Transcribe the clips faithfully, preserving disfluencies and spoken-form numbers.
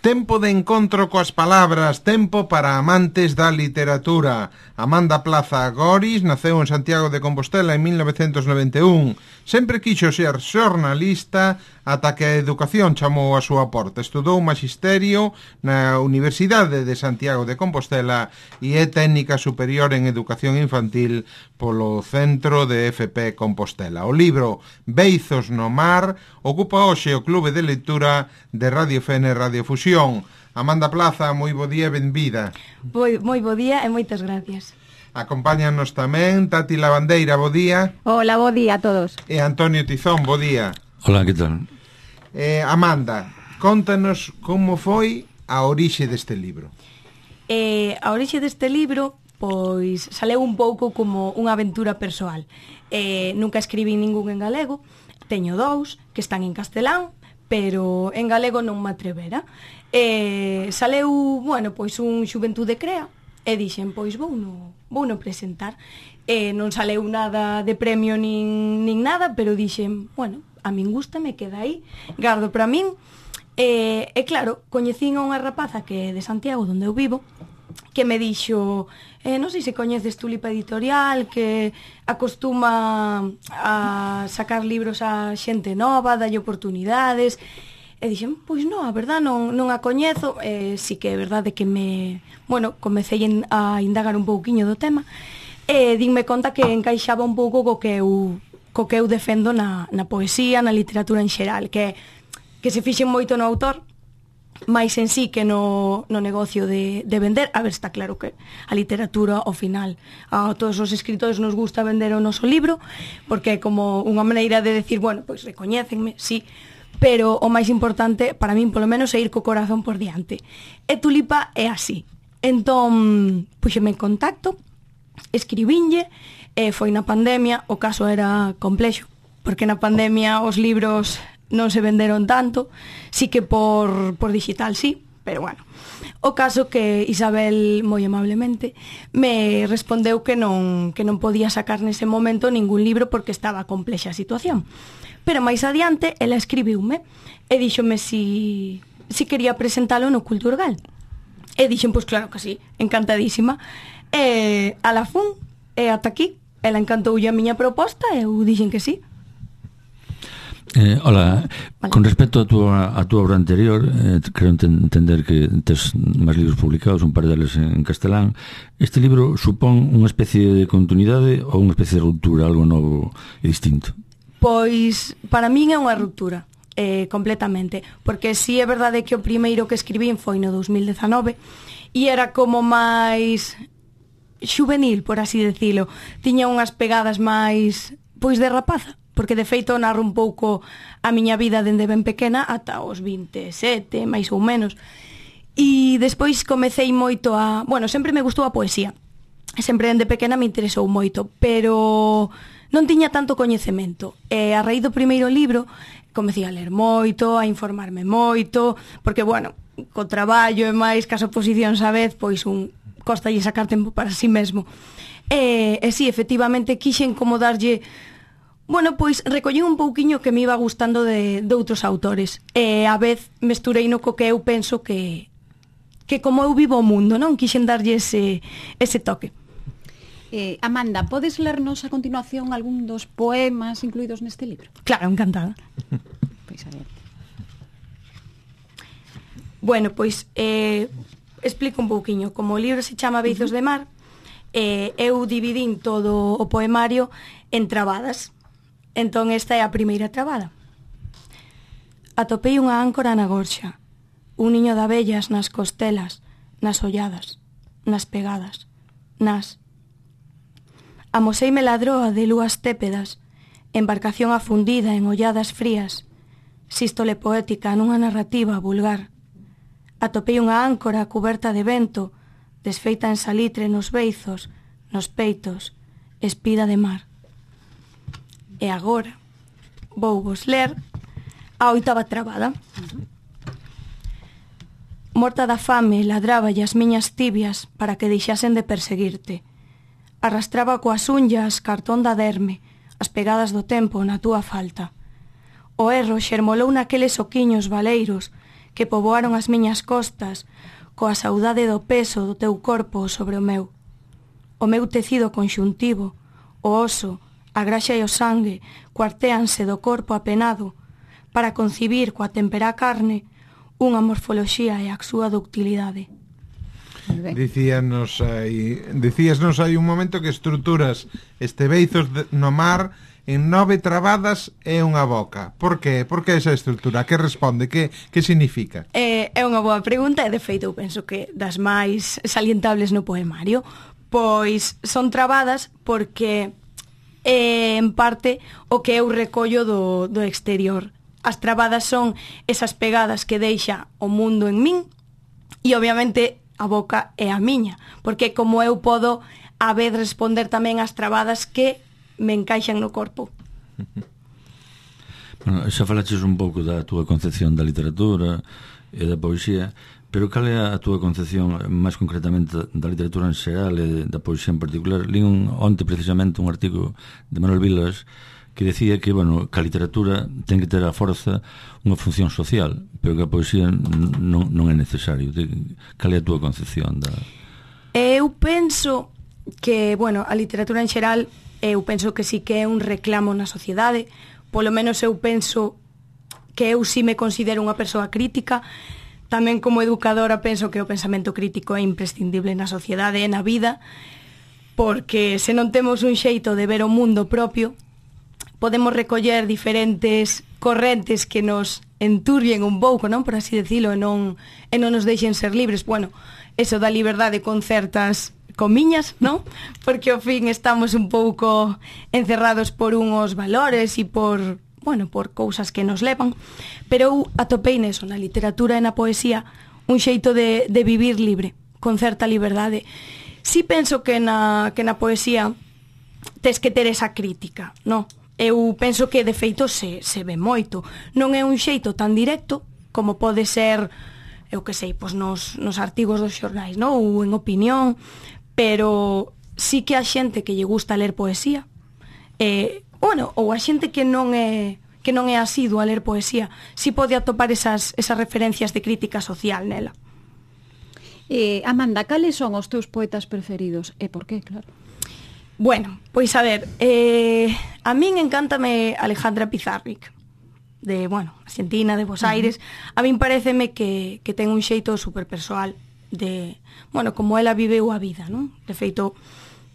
Tempo de encontro coas palabras, tempo para amantes da literatura. Amanda Plaza Goris naceu en Santiago de Compostela en mil novecentos noventa e un. Sempre quixo ser xornalista ata que a educación chamou a súa porta. Estudou magisterio na Universidade de Santiago de Compostela e é técnica superior en educación infantil polo Centro de F P Compostela. O libro Beizos no mar ocupa hoxe o Clube de Lectura de Radio F N Radio Fusión. Amanda Plaza, moi bo día e benvida. Moi, moi bo día e moitas gracias. Acompáñanos tamén Tati Lavandeira, bo día. Hola, bo día a todos. E Antonio Tizón, bo día. Hola, que tal? Eh, Amanda, contanos como foi a orixe deste libro. Eh, a orixe deste libro, pois, saleu un pouco como unha aventura persoal. Eh, nunca escribí ningún en galego, teño dous que están en castelán, pero en galego non me atrevera. Eh, saleu, bueno, pois un Xuventude Crea, e dixen, pois vou no, vou no presentar. Eh, non saleu nada de premio nin, nin nada, pero dixen, bueno, a min gusta, me queda aí, gardo para min. Eh, e claro, coñecín a unha rapaza que é de Santiago, onde eu vivo, que me dixo, eh, non sei se coñeces Tulipa Editorial, que acostuma a sacar libros a xente nova, dalle oportunidades. E dixen, pois non, a verdad non, non a coñezo. Eh, si que é verdade que me, bueno, comecei a indagar un pouquiño do tema, e dinme conta que encaixaba un pouco co que eu, co que eu defendo na, na poesía, na literatura en xeral, que, que se fixen moito no autor, máis en sí que no, no negocio de, de vender. A ver, está claro que a literatura, ao final, a todos os escritores nos gusta vender o noso libro, porque é como unha maneira de decir, bueno, pois recoñécenme, sí, pero o máis importante, para min, polo menos, é ir co corazón por diante. E Tulipa é así. Entón, puxeme en contacto, escribinlle, e foi na pandemia, o caso era complexo, porque na pandemia os libros non se venderon tanto, sí que por, por digital sí, pero bueno. O caso que Isabel, moi amablemente, me respondeu que non, que non podía sacar nese momento ningún libro porque estaba complexa a situación. Pero máis adiante, ela escribiume e díxome si, si quería presentalo no Culturgal. E dixen, pois claro que sí, encantadísima. E a la fun, e ata aquí, ela encantoulle a miña proposta e eu dixen que sí. Eh, hola, vale. Con respecto a túa, a túa obra anterior, eh, creo entender que tes máis libros publicados, un par deles en castelán. Este libro supón unha especie de continuidade ou unha especie de ruptura, algo novo e distinto? Pois, para min é unha ruptura, eh, completamente, porque si é verdade que o primeiro que escribín foi no dos mil dezanove e era como máis xuvenil, por así decilo. Tiña unhas pegadas máis, pois, de rapaza, porque de feito narro un pouco a miña vida dende ben pequena ata os vinte e sete, máis ou menos. E despois comecei moito a... Bueno, sempre me gustou a poesía, sempre dende pequena me interesou moito, pero non tiña tanto coñecemento. E a raíz do primeiro libro comecei a ler moito, a informarme moito, porque, bueno, co traballo e máis cas oposicións a vez, pois un costalle sacar tempo para si mesmo. E, e si, efectivamente, quixen como darlle... Bueno, pois recollín un pouquiño que me iba gustando de, de outros autores. E a vez mesturei no co que eu penso que, que como eu vivo o mundo, non? Quixen darlle ese, ese toque. Eh, Amanda, podes lernos a continuación algún dos poemas incluídos neste libro? Claro, encantada. Pois a ver. Bueno, pois eh, explico un pouquiño. Como o libro se chama Beizos de mar, eh, eu dividín todo o poemario en trabadas. Entón esta é a primeira trabada. Atopei unha áncora na gorxa, un niño de abellas nas costelas, nas olladas, nas pegadas, nas... Amoseime ladroa de lúas tépedas, embarcación afundida en olladas frías, sístole poética nunha narrativa vulgar. Atopei unha áncora cuberta de vento, desfeita en salitre nos beizos, nos peitos, espida de mar. E agora vou vos ler a oitava trabada. Morta da fame, ladraba as miñas tibias para que deixasen de perseguirte. Arrastraba coas unllas cartón da derme, as pegadas do tempo na túa falta. O erro xermolou naqueles oquiños valeiros que poboaron as miñas costas, coa saudade do peso do teu corpo sobre o meu. O meu tecido conxuntivo, o oso, a graxa e o sangue cuartéanse do corpo apenado para concibir coa temperá carne unha morfoloxía e a súa ductilidade. Dicíanos aí, dicíasnos aí un momento que estruturas este beizos de, no mar en nove trabadas e unha boca. Por que? Por que esa estrutura? Que responde? Que, que significa? É, é unha boa pregunta e, de feito, eu penso que das máis salientables no poemario, pois son trabadas porque é, en parte, o que eu recollo do, do exterior. As trabadas son esas pegadas que deixa o mundo en min e, obviamente, a boca é a miña, porque como eu podo a vez responder tamén as trabadas que me encaixan no corpo. Bueno, xa falaches un pouco da túa concepción da literatura e da poesía, pero cal é a túa concepción máis concretamente da literatura en xeral e da poesía en particular? Lín onte precisamente un artigo de Manuel Vilas que decía que, bueno, que a literatura ten que ter a forza unha función social, pero que a poesía non, non é necesario. Cal é a túa concepción da... Eu penso que, bueno, a literatura en xeral, eu penso que sí que é un reclamo na sociedade, polo menos eu penso que eu sí me considero unha persoa crítica. Tamén como educadora penso que o pensamento crítico é imprescindible na sociedade e na vida, porque se non temos un xeito de ver o mundo propio, podemos recoller diferentes correntes que nos enturbien un pouco, non, por así decirlo, e non, e non nos deixen ser libres. Bueno, eso da liberdade con certas comiñas, non? Porque ao fin estamos un pouco encerrados por unhos valores e por, bueno, por cousas que nos levan. Pero eu atopei neso, na literatura e na poesía, un xeito de, de vivir libre, con certa liberdade. Si penso que na, que na poesía tes que ter esa crítica, non? Eu penso que de feito se, se ve moito. Non é un xeito tan directo como pode ser, eu que sei, pois nos, nos artigos dos xornais, non? Ou en opinión, pero sí que a xente que lle gusta ler poesía, eh, bueno, ou a xente que non é que non é asidua a ler poesía, sí pode atopar esas, esas referencias de crítica social nela. Eh, Amanda, cales son os teus poetas preferidos? E por qué, claro? Bueno, pois a ver, eh, a min encántame Alejandra Pizarnik, de, bueno, Argentina, de Buenos Aires. Uh-huh. A min pareceme que, que ten un xeito super persoal de, bueno, como ela viveu a vida, non? De feito,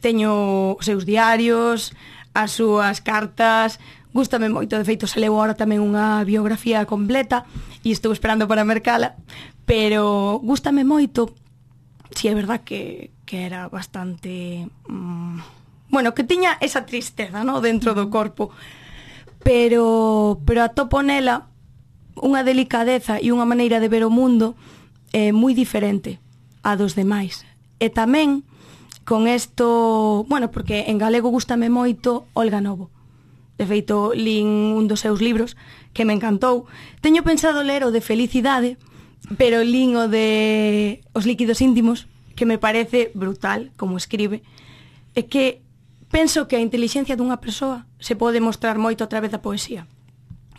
teño os seus diarios, as súas cartas, gústame moito. De feito, se leu agora tamén unha biografía completa e estou esperando para mercala, pero gústame moito. Si é verdad que, que era bastante... Mmm, bueno, que tiña esa tristeza, ¿no?, dentro do corpo, pero pero atopo nela unha delicadeza e unha maneira de ver o mundo eh, moi diferente a dos demais. E tamén con isto, bueno, porque en galego gústame moito Olga Novo. De feito, lín un dos seus libros que me encantou. Teño pensado ler o de Felicidade, pero lín o de Os líquidos íntimos, que me parece brutal como escribe. É que penso que a intelixencia dunha persoa se pode mostrar moito a través da poesía,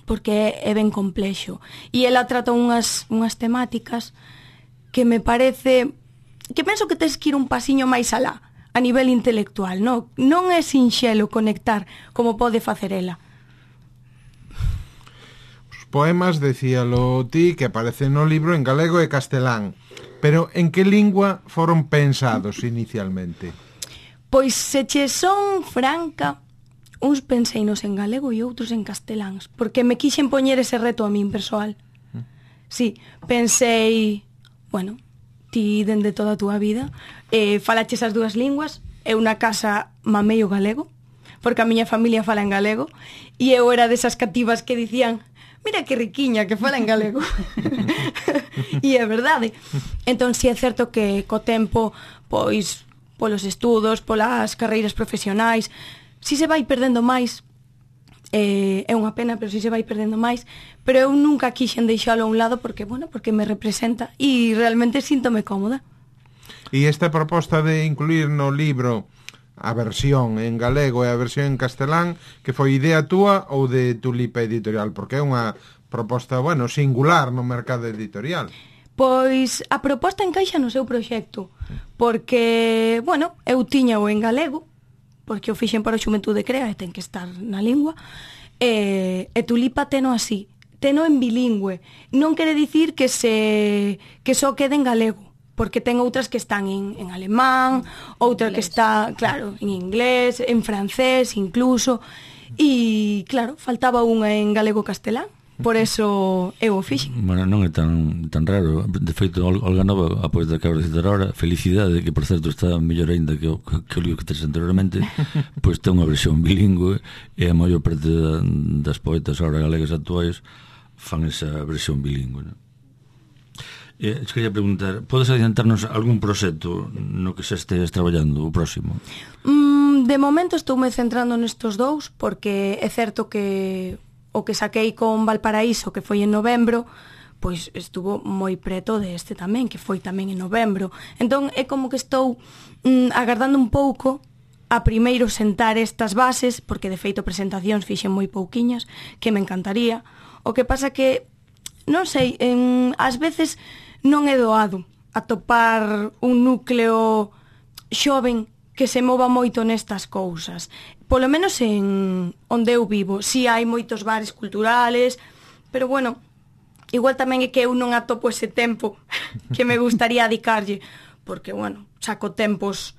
porque é, é ben complexo. E ela trata unhas, unhas temáticas que me parece... que penso que tens que ir un pasiño máis alá, a nivel intelectual, non? Non é sinxelo conectar como pode facer ela. Os poemas, decíalo ti, que aparecen no libro en galego e castelán, pero en que lingua foron pensados inicialmente? Pois se che son franca, uns penseinos en galego e outros en casteláns, porque me quixen poñer ese reto a min persoal. Sí, pensei, bueno, ti dende toda a túa vida eh, falaches as dúas linguas, eu na casa mamei o galego, porque a miña familia fala en galego, e eu era desas cativas que dicían, mira que riquiña que fala en galego. E é verdade. Entón, si é certo que co tempo, pois, polos estudos, polas carreiras profesionais, si se vai perdendo máis, eh, é unha pena, pero si se vai perdendo máis, pero eu nunca quixen deixalo a un lado porque, bueno, porque me representa e realmente síntome cómoda. E esta proposta de incluir no libro a versión en galego e a versión en castelán, que foi idea túa ou de Tulipa Editorial? Porque é unha proposta, bueno, singular no mercado editorial. Pois a proposta encaixa no seu proxecto, porque, bueno, eu tiña o en galego, porque o fixen para o Xuventude Crea e ten que estar na lingua, e, e Tulipa teno así, teno en bilingüe. Non quere dicir que se que só quede en galego, porque ten outras que están en, en alemán, outra que está, claro, en inglés, en francés incluso, e, claro, faltaba unha en galego-castelán, por eso eu o fixen. Bueno, non é tan, tan raro. De feito, Olga Nova, a poeta que acabo de citar ahora, Felicidade, que por certo está mellor ainda que o, que o libro que tes anteriormente, pois ten unha versión bilingüe, e a maior parte da, das poetas ahora galegas actuais fan esa versión bilingüe, non? Eh, quería preguntar, podes adiantarnos algún proxecto no que xa estés traballando o próximo? Mm, de momento estou me centrando nestos dous, porque é certo que o que saquei con Valparaíso, que foi en novembro, pois estuvo moi preto deste tamén, que foi tamén en novembro. Entón é como que estou mm, agardando un pouco a primeiro sentar estas bases, porque de feito presentacións fixen moi pouquiñas, que me encantaría. O que pasa que, non sei, en, ás veces non é doado atopar un núcleo xoven que se mova moito nestas cousas. Polo menos en onde eu vivo. Si hai moitos bares culturales, pero bueno, igual tamén é que eu non atopo ese tempo que me gustaría dedicarlle, porque, bueno, saco tempos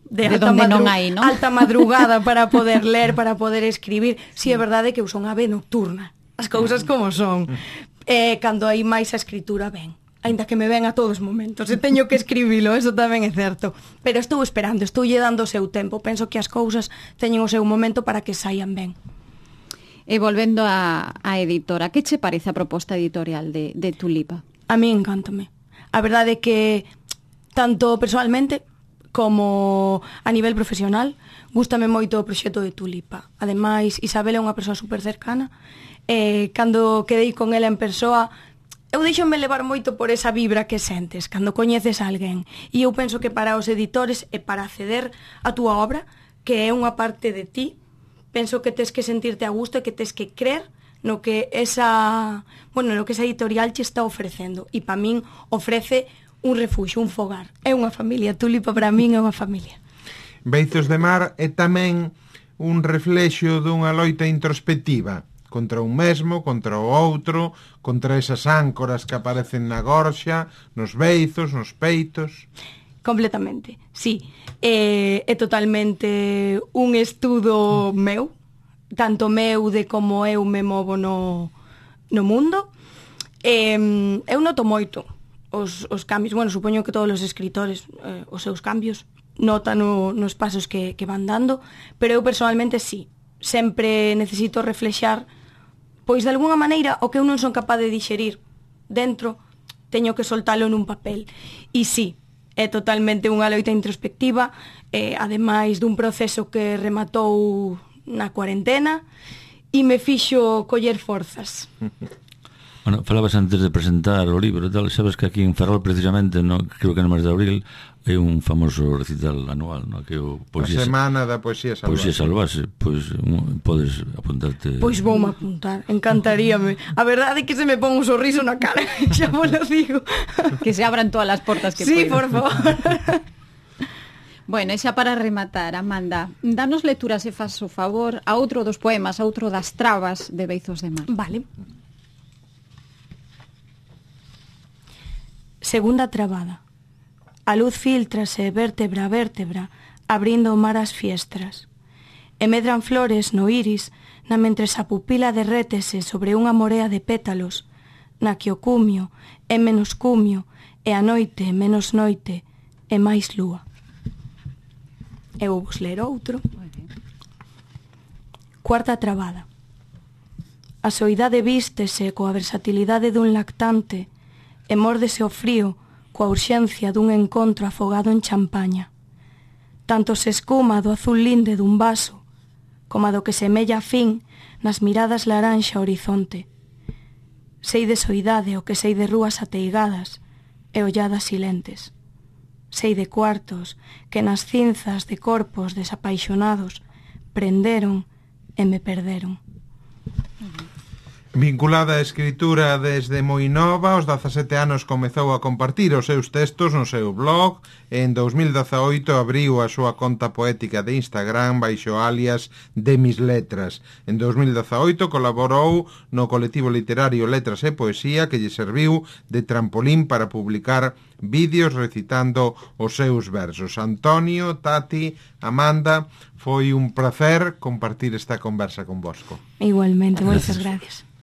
de, de alta, madru hai, ¿no? alta madrugada para poder ler, para poder escribir. Si é verdade que eu son ave nocturna, as cousas como son. Eh, cando hai máis a escritura, ben. Ainda que me ven a todos os momentos, e teño que escribilo, eso tamén é certo. Pero estou esperando, estou lle dando o seu tempo. Penso que as cousas teñen o seu momento para que saian ben. E volvendo a, a editora, que che parece a proposta editorial de, de Tulipa? A mí encántame. A verdade é que, tanto personalmente como a nivel profesional, gústame moito o proxecto de Tulipa. Ademais, Isabel é unha persoa super cercana, e cando quedei con ela en persoa, eu deixome levar moito por esa vibra que sentes cando coñeces a alguén. E eu penso que para os editores e para acceder a túa obra, que é unha parte de ti, penso que tes que sentirte a gusto e que tes que creer no que esa, bueno, no que esa editorial che está ofrecendo. E para min ofrece un refuxo, un fogar. É unha familia, Tulipa para min é unha familia. Beizos de Mar é tamén un reflexo dunha loita introspectiva contra un mesmo, contra o outro, contra esas áncoras que aparecen na gorxa, nos beizos, nos peitos. Completamente, sí. É, é totalmente un estudo meu, tanto meu de como eu me movo no, no mundo. E, eu noto moito os, os cambios. Bueno, supoño que todos os escritores eh, os seus cambios notan no, nos pasos que, que van dando, pero eu personalmente sí. Sempre necesito reflexar, pois de alguna maneira o que eu non son capaz de dixerir dentro, teño que soltalo nun papel. E sí, é totalmente unha loita introspectiva, eh, ademais dun proceso que rematou na cuarentena e me fixo coller forzas. Bueno, falabas antes de presentar o libro e tal, sabes que aquí en Ferrol precisamente, no, creo que no mes de abril, é un famoso recital anual, no, que é o poesía, a semana da poesía salvaxe. Poesía salvaxe, pois un, podes apuntarte. Pois voume apuntar, encantaríame. A verdade é que se me pon un sorriso na cara, xa vos lo digo. Que se abran todas as portas que sí, puedan. por favor. Bueno, e xa para rematar, Amanda, danos lectura, se faz o favor, a outro dos poemas, a outro das trabas de Beizos de Mar. Vale. Segunda trabada. A luz filtrase vértebra a vértebra, abrindo o mar as fiestras. E medran flores no iris, na mentres a pupila derrétese sobre unha morea de pétalos, na que o cumio é menos cumio, e a noite menos noite, e máis lúa. Eu vos ler outro. Cuarta trabada. A soidade vístese coa versatilidade dun lactante, e mórdese o frío coa urxencia dun encontro afogado en champaña. Tanto se escuma do azul linde dun vaso, como do que semella a fin nas miradas laranxa horizonte. Sei de soidade o que sei de rúas ateigadas e olladas silentes. Sei de cuartos que nas cinzas de corpos desapaixonados prenderon e me perderon. Vinculada á escritura desde moi nova, aos dezasete anos comezou a compartir os seus textos no seu blog e en dous mil dezaoito abriu a súa conta poética de Instagram baixo alias de Mis Letras. En dous mil dezaoito colaborou no colectivo literario Letras e Poesía que lle serviu de trampolín para publicar vídeos recitando os seus versos. Antonio, Tati, Amanda, foi un placer compartir esta conversa con vosco. Igualmente, moitas gracias.